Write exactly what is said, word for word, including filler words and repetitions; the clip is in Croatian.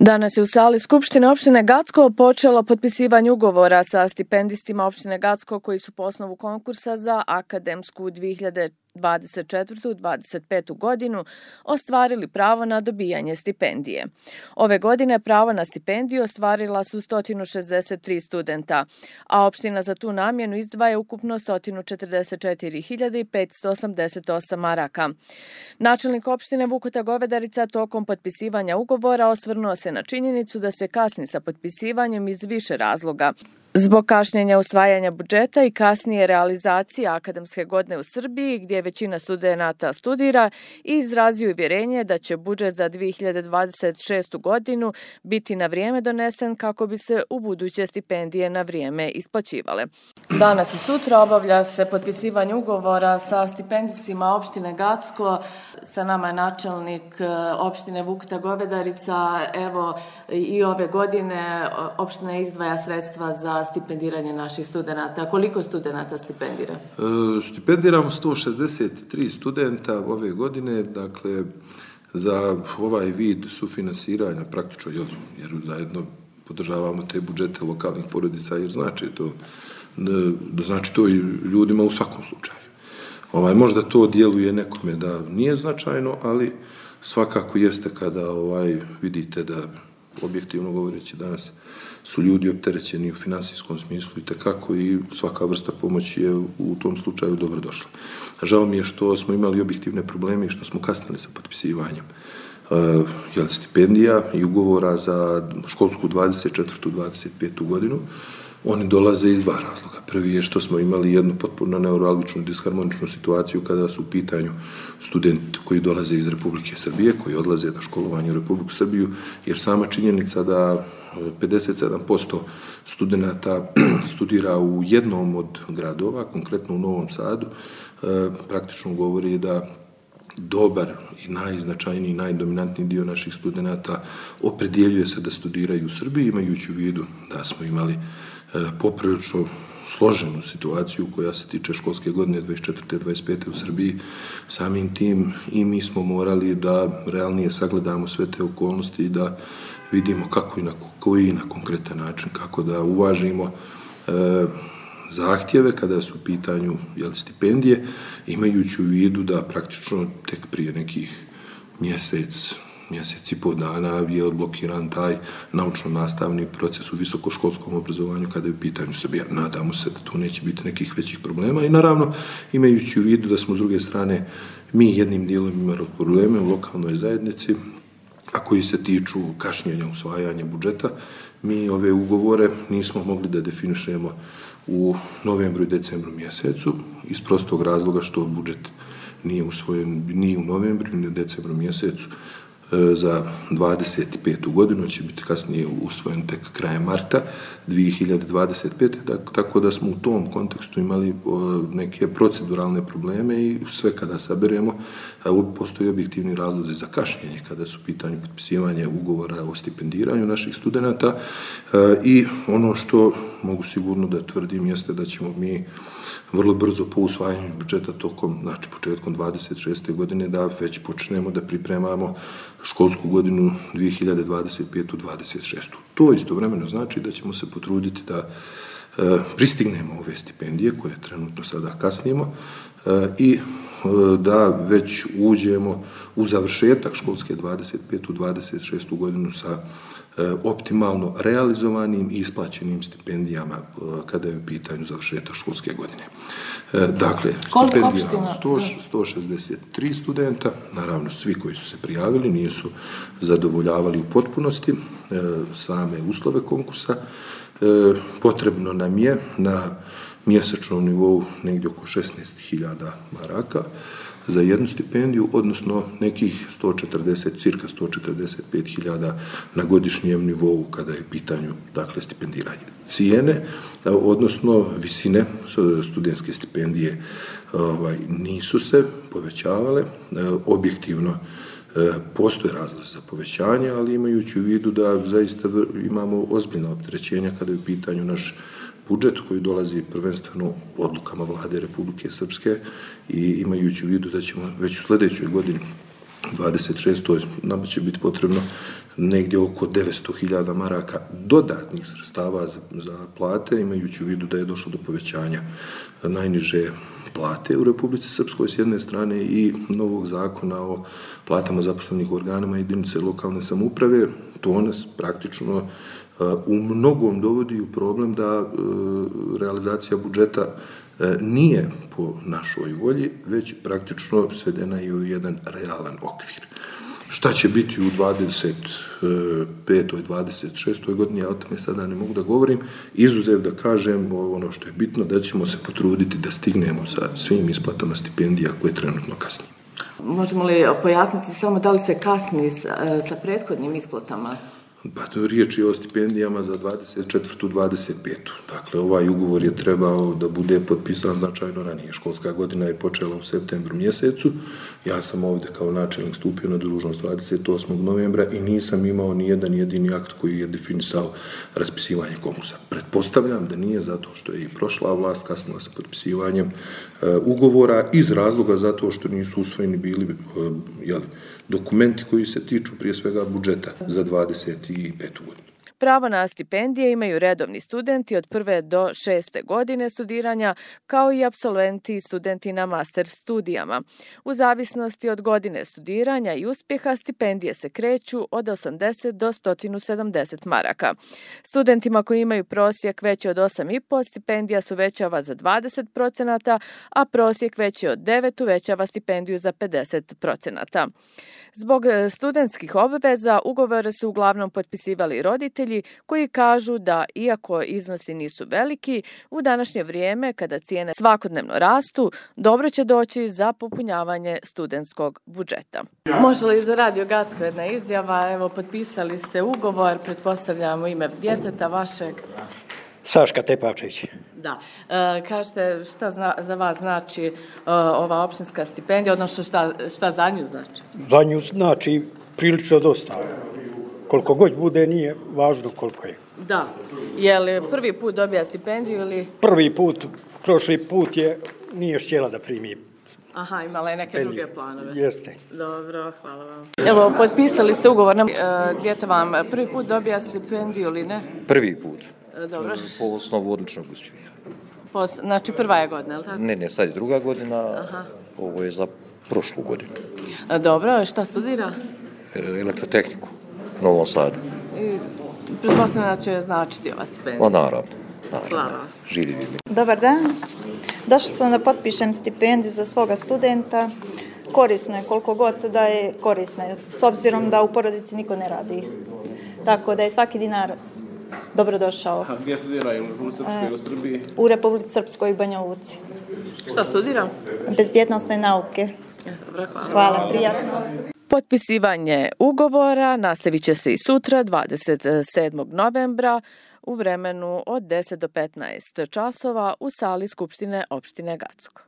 Danas je u sali Skupštine opštine Gacko počelo potpisivanje ugovora sa stipendistima opštine Gacko koji su po osnovu konkursa za akademsku dvije hiljade dvadeset četvrtu dvadeset petu godinu ostvarili pravo na dobijanje stipendije. Ove godine pravo na stipendiju ostvarila su sto šezdeset tri studenta, a opština za tu namjenu izdvaja ukupno sto četrdeset četiri hiljade petsto osamdeset osam maraka. Načelnik opštine Vukota Govedarica tokom potpisivanja ugovora osvrnuo se na činjenicu da se kasni sa potpisivanjem iz više razloga. Zbog kašnjenja usvajanja budžeta i kasnije realizacije akademske godine u Srbiji, gdje većina studenata studira, i izrazio uvjerenje da će budžet za dvije hiljade dvadeset šestu godinu biti na vrijeme donesen kako bi se u buduće stipendije na vrijeme isplaćivale. Danas i sutra obavlja se potpisivanje ugovora sa stipendistima opštine Gacko. Sa nama je načelnik opštine Vukota Govedarica. Evo, i ove godine opština izdvaja sredstva za stipendiranje naših studenata. Koliko studenata stipendira? E, stipendiramo sto šezdeset tri studenta ove godine, dakle, za ovaj vid sufinansiranja praktično, jer zajedno podržavamo te budžete lokalnih porodica, jer znači to, znači to i ljudima u svakom slučaju. Ovaj, možda to djeluje nekome da nije značajno, ali svakako jeste kada ovaj, vidite da, objektivno govoreći, danas su ljudi opterećeni u finansijskom smislu i tekako, i svaka vrsta pomoći je u tom slučaju dobro došla. Žao mi je što smo imali objektivne probleme i što smo kasnili sa potpisivanjem uh, stipendija i ugovora za školsku dvadeset četvrtu dvadeset petu godinu. Oni dolaze iz dva razloga. Prvi je što smo imali jednu potpuno neuralgičnu, disharmoničnu situaciju kada su u pitanju studenti koji dolaze iz Republike Srbije, koji odlaze na školovanje u Republiku Srbiju, jer sama činjenica da pedeset sedam posto studenata studira u jednom od gradova, konkretno u Novom Sadu, praktično govori da dobar i najznačajniji, najdominantniji dio naših studenata opredjeljuje se da studiraju u Srbiji, imajući u vidu da smo imali poprilično složenu situaciju koja se tiče školske godine dvadeset četvrte dvadeset pete u Srbiji. Samim tim i mi smo morali da realnije sagledamo sve te okolnosti i da vidimo kako i na koji na konkretan način, kako da uvažimo e, zahtjeve kada su u pitanju jel, stipendije, imajući u vidu da praktično tek prije nekih mjesec, mjesec i pol dana je odblokiran taj naučno-nastavni proces u visokoškolskom obrazovanju kada je u pitanju Srbija. Nadamo se da tu neće biti nekih većih problema i naravno imajući u vidu da smo s druge strane mi jednim dijelom imali probleme u lokalnoj zajednici, a koji se tiču kašnjenja usvajanja budžeta, mi ove ugovore nismo mogli da definišemo u novembru i decembru mjesecu iz prostog razloga što budžet nije usvojen ni u novembru ni u decembru mjesecu za dvadeset petu godinu, će biti kasnije usvojen tek krajem marta dvije hiljade dvadeset pete. Tako da smo u tom kontekstu imali neke proceduralne probleme i sve kada saberemo, postoji objektivni razlozi za kašnjenje kada su u pitanju potpisivanje ugovora o stipendiranju naših studenata i ono što mogu sigurno da tvrdim jeste da ćemo mi vrlo brzo po usvajanju budžeta tokom, znači početkom dvadeset šeste godine da već počnemo da pripremamo školsku godinu dvije hiljade dvadeset petu dvadeset šestu. To istovremeno znači da ćemo se potruditi da e, pristignemo ove stipendije koje trenutno sada kasnimo e, i e, da već uđemo u završetak školske dvadeset petu dvadeset šestu godinu sa e, optimalno realizovanim i isplaćenim stipendijama e, kada je u pitanju završetak školske godine. E, dakle, stipendija sto šezdeset tri studenta, naravno svi koji su se prijavili nisu zadovoljavali u potpunosti e, same uslove konkursa. E, potrebno nam je na mjesečnom nivou negdje oko šesnaest hiljada maraka za jednu stipendiju, odnosno nekih sto četrdeset, cirka sto četrdeset pet hiljada na godišnjem nivou kada je u pitanju, dakle, stipendiranje. Cijene, odnosno visine studentske stipendije ovaj, nisu se povećavale, objektivno postoje razlozi za povećanje, ali imajući u vidu da zaista imamo ozbiljna opterećenja kada je u pitanju naš budžet koji dolazi prvenstveno odlukama Vlade Republike Srpske i imajući u vidu da ćemo već u sljedećoj godini dvadeset šestoj nama će biti potrebno negdje oko devetsto hiljada maraka dodatnih sredstava za, za plate, imajući u vidu da je došlo do povećanja najniže plate u Republici Srpskoj s jedne strane i novog zakona o platama zaposlenih u organima jedinice lokalne samouprave. To nas praktično u mnogom dovodi u problem da realizacija budžeta nije po našoj volji, već praktično svedena je u jedan realan okvir. Šta će biti u dvadeset petoj dvadeset šestoj godini, ja o tome sada ne mogu da govorim, izuzev da kažem ono što je bitno, da ćemo se potruditi da stignemo sa svim isplatama stipendija koje trenutno kasnije. Možemo li pojasniti samo da li se kasni sa prethodnim isplatama? Pa to riječ je o stipendijama za dvadeset četvrtu dvadeset petu Dakle, ovaj ugovor je trebao da bude potpisan značajno ranije. Školska godina je počela u septembru mjesecu. Ja sam ovdje kao načelnik stupio na dužnost dvadeset osmog novembra i nisam imao ni jedan jedini akt koji je definisao raspisivanje konkursa. Pretpostavljam da nije zato što je i prošla vlast kasnila sa potpisivanjem uh, ugovora iz razloga zato što nisu usvojeni bili uh, jeli, dokumenti koji se tiču prije svega budžeta za dvadeset petu godinu. Pravo na stipendije imaju redovni studenti od prve do šeste godine studiranja, kao i apsolventi i studenti na master studijama. U zavisnosti od godine studiranja i uspjeha, stipendije se kreću od osamdeset do sto sedamdeset maraka. Studentima koji imaju prosjek veći od osam i po stipendija se uvećava za dvadeset procenata, a prosjek veći od devet uvećava stipendiju za pedeset procenata. Zbog studentskih obveza ugovore su uglavnom potpisivali roditelji koji kažu da, iako iznosi nisu veliki, u današnje vrijeme, kada cijene svakodnevno rastu, dobro će doći za popunjavanje studentskog budžeta. Može li za Radio Gacko jedna izjava? Evo, potpisali ste ugovor, pretpostavljamo ime djeteta vašeg. Saška Tepavčević. Da. E, kažete šta zna, za vas znači e, ova opštinska stipendija, odnosno šta, šta za nju znači? Za nju znači prilično dosta. Koliko god bude, nije važno koliko je. Da. Je li prvi put dobija stipendiju ili? Prvi put, prošli put je, nije htjela da primi. Aha, imala je neke stipendiju. Druge planove. Jeste. Dobro, hvala vam. Evo, potpisali ste ugovor, e, djete vam prvi put dobija stipendiju ili ne? Prvi put. Dobro. Po osnovu odličnog uspjeha. Po, znači prva je godina, je li tako? Ne, ne, sad je druga godina, aha. Ovo je za prošlu godinu. Dobro, šta studira? Elektrotehniku, u Novom Sadu. I pretpostavljam da će značiti ova stipendija. O, naravno, naravno. Hvala. Živi bili. Dobar dan. Došla sam da potpišem stipendiju za svoga studenta. Korisno je koliko god da je korisno, s obzirom da u porodici niko ne radi. Tako da je svaki dinar dobrodošao. A gdje studiraju? U Republici Srpskoj ili u Srbiji? U Republici Srpskoj i Banja Luci. Šta studira? Bezbjednosne nauke. Dobro, hvala. Hvala, prijatno. Potpisivanje ugovora nastavit će se i sutra, dvadeset sedmog novembra, u vremenu od deset do petnaest časova u sali Skupštine opštine Gacko.